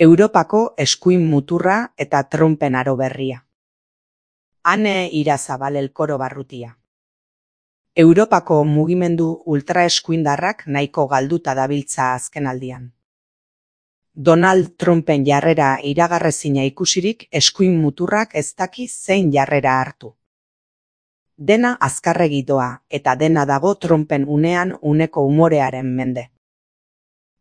Europako eskuin muturra eta Trumpen aro berria. Ane Irazabal Elkoro Barrutia. Europako mugimendu ultraeskuindarrak nahiko galduta dabiltza azkenaldian. Donald Trumpen jarrera iragarrezina ikusirik eskuin muturrak ez daki zein jarrera hartu. Dena azkarregi doa eta dena dago Trumpen unean uneko umorearen mende.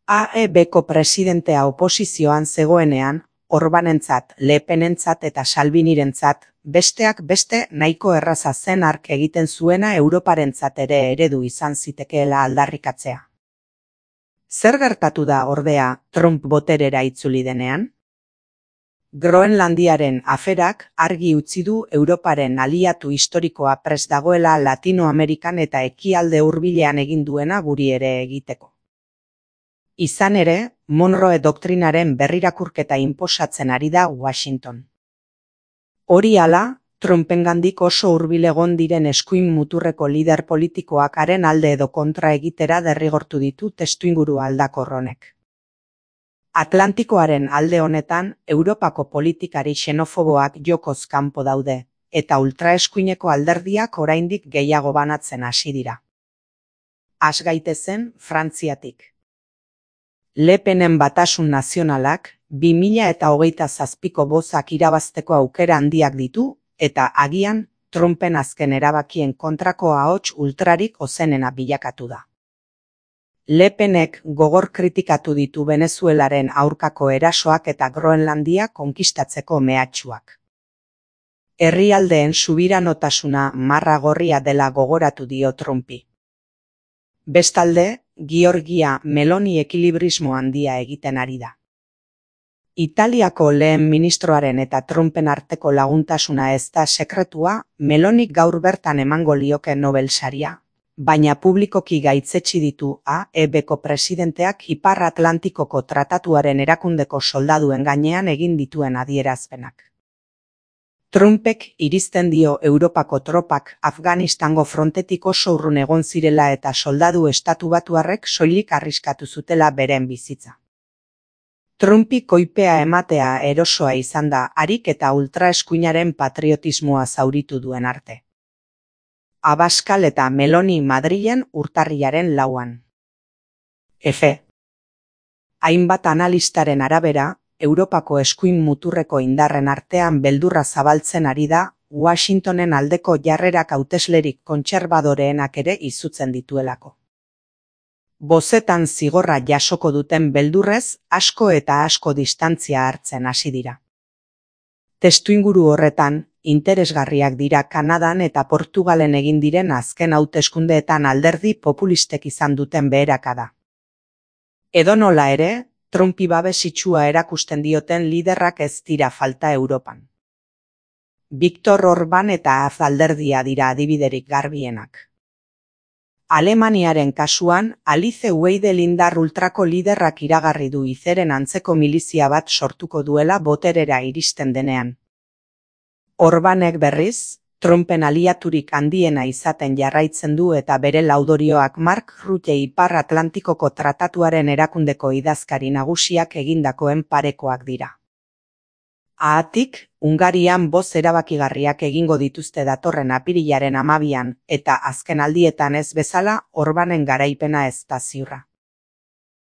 AEBko presidentea oposizioan zegoenean, Orbanentzat, Le Penentzat eta Salvinirentzat, besteak beste nahiko erraza zen hark egiten zuena Europarentzat ere eredu izan zitekeela aldarrikatzea. Zer gertatu da ordea Trump boterera itzuli denean? Groenlandiaren aferak argi utzi du Europaren aliatu historikoa prest dagoela Latinoamerikan eta ekialde hurbilean egin duena guri ere egiteko. Izan ere, Monroe doktrinaren berrirakurketa inposatzen ari da Washington. Hori hala, Trumpengandik oso hurbil egon diren eskuin muturreko lider politikoak haren alde edo kontra egitera derrigortu ditu testuinguru aldakor honek. Atlantikoaren alde honetan, Europako politikari xenofoboak jokoz kanpo daude, eta ultraeskuineko alderdiak oraindik gehiago banatzen hasi dira. Has gaitezen Frantziatik. Le Penen Batasun Nazionalak 2027ko bozak irabazteko aukera handiak ditu, eta agian Trumpen azken erabakien kontrako ahots ultrarik ozenena bilakatu da. Le Penek gogor kritikatu ditu Venezuelaren aurkako erasoak eta Groenlandia konkistatzeko mehatxuak. Herrialdeen subiranotasuna marra gorria dela gogoratu dio Trumpi. Bestalde, Giorgia Meloni ekilibrismo handia egiten ari da. Italiako lehen ministroaren eta Trumpen arteko laguntasuna ez da sekretua, Melonik gaur bertan emango lioke Nobel saria, baina publikoki gaitzetsi ditu AEBko presidenteak Ipar Atlantikoko tratatuaren erakundeko soldaduen gainean egin dituen adierazpenak. Trumpek iristen dio Europako tropak Afganistango frontetik oso urrun egon zirela eta soldadu estatubatuarrek soilik arriskatu zutela beren bizitza. Trumpi koipea ematea erosoa izan da harik eta ultraeskuinaren patriotismoa zauritu duen arte. Abascal eta Meloni Madrilen urtarrilaren 4. Hainbat analistaren arabera, Europako eskuin muturreko indarren artean beldurra zabaltzen ari da, Washingtonen aldeko jarrerak hauteslerik kontserbadoreenak ere izutzen dituelako. Bozetan zigorra jasoko duten beldurrez, asko eta asko distantzia hartzen hasi dira. Testuinguru horretan, interesgarriak dira Kanadan eta Portugalen egin diren azken hauteskundeetan alderdi populistek izan duten beherakada. Edonola ere, Trumpi babesitsua erakusten dioten liderrak ez dira falta Europan. Viktor Orban eta AZ alderdia dira adibiderik garbienak. Alemaniaren kasuan, Alice Weidel indar ultrako liderrak iragarri du izeren antzeko milizia bat sortuko duela boterera iristen denean. Orbanek berriz, Trumpen aliaturik handiena izaten jarraitzen du eta bere laudorioak Mark Rutte Ipar Atlantikoko tratatuaren erakundeko idazkari nagusiak egindakoen parekoak dira. Haatik, Hungarian boz erabakigarriak egingo dituzte datorren apirilaren 12an eta azken aldietan ez bezala Orbanen garaipena ez da ziurra.